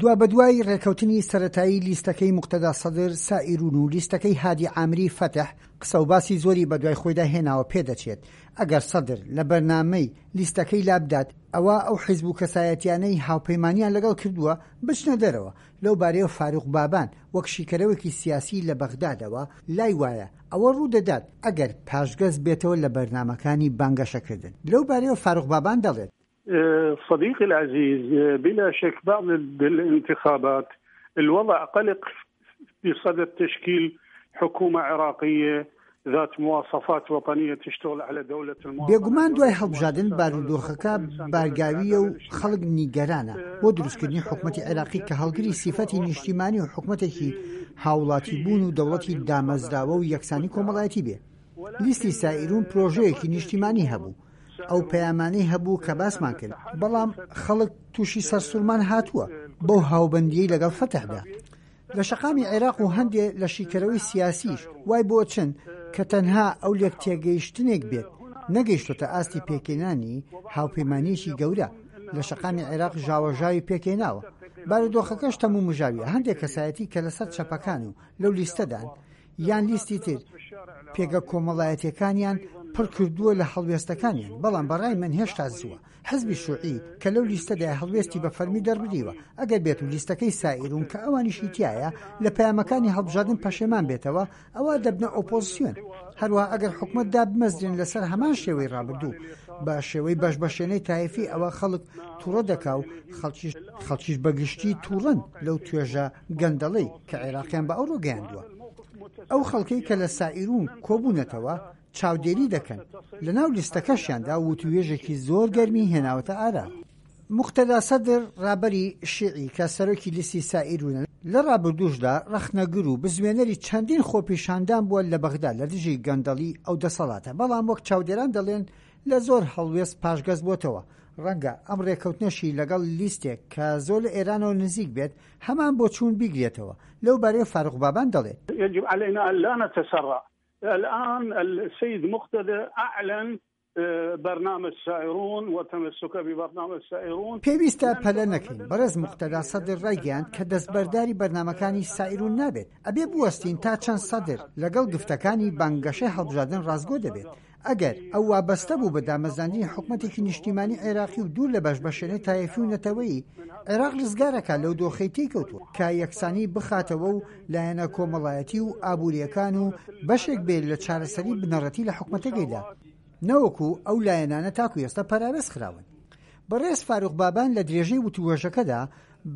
دوابەدوای ڕێکەوتنی سەرەتایی لیستەکەی موقتەدا سەدر، سائیرون و لیستەکەی هادی عامری فەتح قسەوباسی زۆری بەدوای خۆیدا هێناوە پێدەچێت ئەگەر سەدر لە بەرنامەی لیستەکەی لابدات ئەوا ئەو حیزب و کەسایەتیانەی هاوپەیمانیان لەگەڵ کردووە بچنە دەرەوە لەو بارەیەوە فاروق بابان وەک شیکەرەوەکی سیاسی لە بەغدادەوە لای وایە ئەوە ڕوودەدات ئەگەر پاشگەز بێتەوە لە بەرنامەکانی بانگەشەکردن لەو بارەیەوە فاروق بابان دەڵێت. صديقي العزيز بلا شك بعد الانتخابات الوضع قلق بصدد تشكيل حكومة عراقية ذات مواصفات وطنية تشتغل على دولة المواطنة بێگومان دوای هەڵبژاردن بارودۆخەکە بارگاوییە و خەڵک نیگەرانە بۆ دروستکردنی حکومەتی عێراقی کە هەڵگری سیفەتی نیشتیمانی و حکومەتێکی هاوڵاتیبوون و دەوڵەتی دامەزراوە و یەکسانی کۆمەڵایەتی بێ. لیستی سائیرون پرۆژەیەکی نیشتیمانی هەبوو، ئەو پەیامانەی هەبوو کە باسمان کرد، بەڵام خەڵک تووشی سەرسوڕمان هاتووە بەو هاوبەندییەی لەگەڵ فەتحدا. لە شەقامی عێراق و هەندێ لە شیکەرەوەی سیاسیش وای بۆ چن کە تەنها ئەو لێکتێگەیشتنێک بێت نەگەیشتۆتە ئاستی پێکهێنانی هاوپەیمانییەکی گەورە لە شەقامی عێراق ژاوەژاوی پێکهێناوە. بارودۆخەکەش تەمومژاویە، هەندێ کەسایەتی کە لەسەر چەپەکان و لەو لیستەدان یان لیستی تر پێگە کۆمەڵایەتیەکانیان پڕ کردووە لە هەڵوێستەکانیان، بەڵام بەڕای من هێشتا زووە. حزبی شوعی کە لەو لیستەدایە هەڵوێستی بە فەرمی دەربریوە، ئەگەر بێت و لیستەکەی سائیرون کە ئەوانیشی تیایە لە پەیامەکانی هەڵبژاردن پەشێمان بێتەوە ئەوا دەبنە ئۆپۆزسیۆن. هەروەها ئەگەر حکومەت دابمەزرێن لەسەر هەمان شێوەی ڕابردوو بە شێوەی بەش بەشێنەی تایفی ئەوە خەڵک توڕە دەکا و خەڵکیش خەڵکیش بە گشتی توڕەن لەو توێژە گەندەڵەی کە عێراقیان بە ئەوڕۆ گەیاندووە. ئەو خەڵکەی کە لە سائیرون کۆبوونەتەوە چاودێری دەکەن، لەناو لیستەکەشیاندا وتووێژێکی زۆر گەرمی هێناوەتە ئارا. موقتەدا سەدر، ڕابەری شیعی کە سەرۆکی لیستی سائیرونە، لە ڕابردووشدا ڕەخنەگر و بزوێنەری چەندین خۆپیشاندان بووە لە بەغدا لە دژی گەندەڵی ئەو دەسەڵاتە، بەڵام وەک چاودێران دەڵێن لە زۆر هەڵوێست پاشگەز بۆتەوە، ڕەنگە ئەم ڕێککەوتنەشی لەگەڵ لیستێک کە زۆر لە ئێرانەوە نزیک بێت هەمان بۆچوون بیگرێتەوە، لەو بارەیەوە فاروق بابان دەڵێت. یجب علینا ان لا نتسرع الان السید مقتدی اعلن برنامج سائرون وتمسکه ببرنامج سائرون. پێویستە پەلە نەکەین، بەڕێز موقتەدا سەدر ڕایگەیاند کە دەستبەرداری بەرنامەکانی سائیرون نابێت، ئەبێ بوەستین تا چەند سەدر لەگەڵ گفتەکانی بانگەشەی هەڵبژاردن ڕاستگۆ دەبێت، ئەگەر ئەو وابەستە بوو بە دامەزراندنی حکومەتێکی نیشتیمانی عێراقی و دوور لە بەشبەشێنەی تایەفی و نەتەوەیی، عێراق رزگارەکات لەو دۆخەی تێیکەوتووە کە یەکسانی بخاتەوە و لایەنە کۆمەڵایەتی و ئابوورییەکان و بەشێک بێت لە چارەسەری بنەڕەتی لە حکومەتەکەیدا نەوەکو ئەو لایەنانە تاکو ئێستا پەراوێز خراون. بەڕێز فاروق بابان لە درێژەی وتووێژەکەدا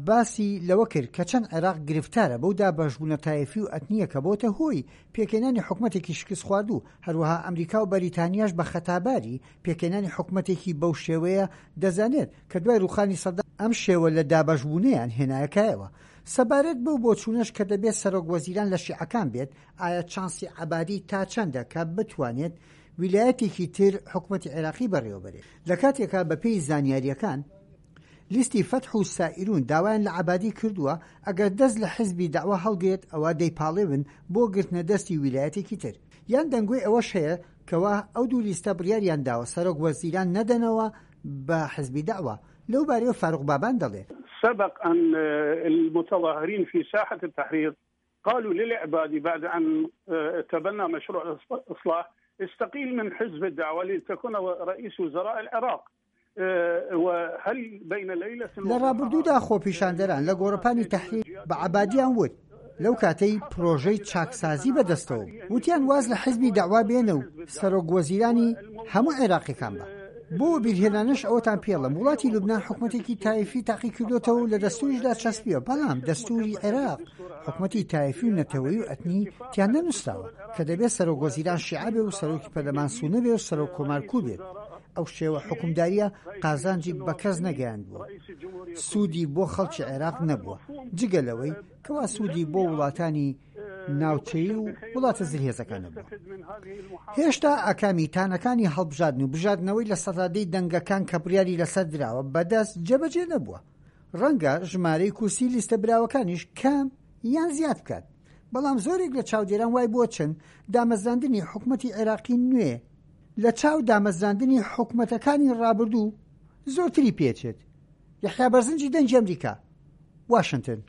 باسی لەوە کرد کە چەند عێراق گرفتارە بەو دابەشبوونە تایەفی و ئەتنییە کە بۆتە هۆی پێکهێنانی حکومەتێکی شکستخواردوو، هەروەها ئەمریکا و بەریتانیاش بە خەتاباری پێکهێنانی حکومەتێکی بەو شێوەیە دەزانێت کە دوای رووخانی سەدام ئەم شێوە لە دابەشبوونەیان هێنایە کایەوە. سەبارەت بەو بۆچوونەش کە دەبێت سەرۆک وەزیران لە شیعەکان بێت، ئایا چانسی عەبادی تا چەندە کە بتوانێت ویلایەتێکی تر حکومەتی عێراقی بەڕێوەبەرێت؟ لە کاتێکا بەپێی زانیارییەکان لیستی فەتح و سائیرون داوایان لە عەبادی کردووە ئەگەر دەست لە حزبی دەعوە هەڵگرێت ئەوا دەیپاڵێون بۆ گرتنە دەستی ویلایەتێکی تر. یان دەنگۆی ئەوەش هەیە کەوا ئەو دوو لیستە بڕیاریان داوە سەرۆک وەزیران نەدەنەوە بە حزبی دەعوە. لەو بارەیەوە فاروق بابان دەڵێ. سبق ان المتظاهرین فی ساحة التحریر قالوا للعبادي بعد أن تبنى مشروع الإصلاح استقيل من حزب الدعوة لتكون رئيس وزراء العراق لە ڕابردوودا خۆپیشاندەران لە گۆڕەپانی تەحریر بە عەبادیان وت، لەو کاتەی پرۆژەی چاکسازی بەدەستەوە بوو، وتیان واز لە حزبی دەعوا بێنە و سەرۆک وەزیرانی هەموو عێراقیەکان بە. بۆ وەبیرهێنانەش ئەوەتان پێڵێم وڵاتی لوبنان حکومەتێکی تایفی تاقیکردۆتەوە و لە دەستوریشدا چەسپیوە، بەڵام دەستوری عێراق حکومەتی تایفی و نەتەوەیی و ئەتنی تیا نەنوسراوە کە دەبێت سەرۆک وەزیران شیعە بێ و سەرۆکی پەرلەمان سونە بێ و سەرۆک کۆمار کورد بێت. ئەو شێوە حوکمدارییە قازانجی بە کەس نەگەیاندووە و سوودی بۆ خەڵکی عێراق نەبووە، جگە لەوەی کەوا سوودی بۆ وڵاتانی ناوچەیی و وڵاتە زلهێزەکان نەبووە. هێشتا ئاکامی تانەکانی هەڵبژاردن و بژاردنەوەی لە دەی دەنگەکان کە بڕیاری لەسەر دراوە بەدەست جێبەجێ نەبووە. ڕەنگە ژمارەی کورسی لیستە براوەکانیش کەم یان زیاد بکات، بەڵام زۆرێک لە چاودێران وای بۆچن دامەزراندنی حکومەتی عێراقی نوێ لە چاو دامەزراندنی حکومەتەکانی ڕابردوو زۆرتری پێچێت. یەحیا بەرزنجی دەنگی ئەمریکا. واشنتن.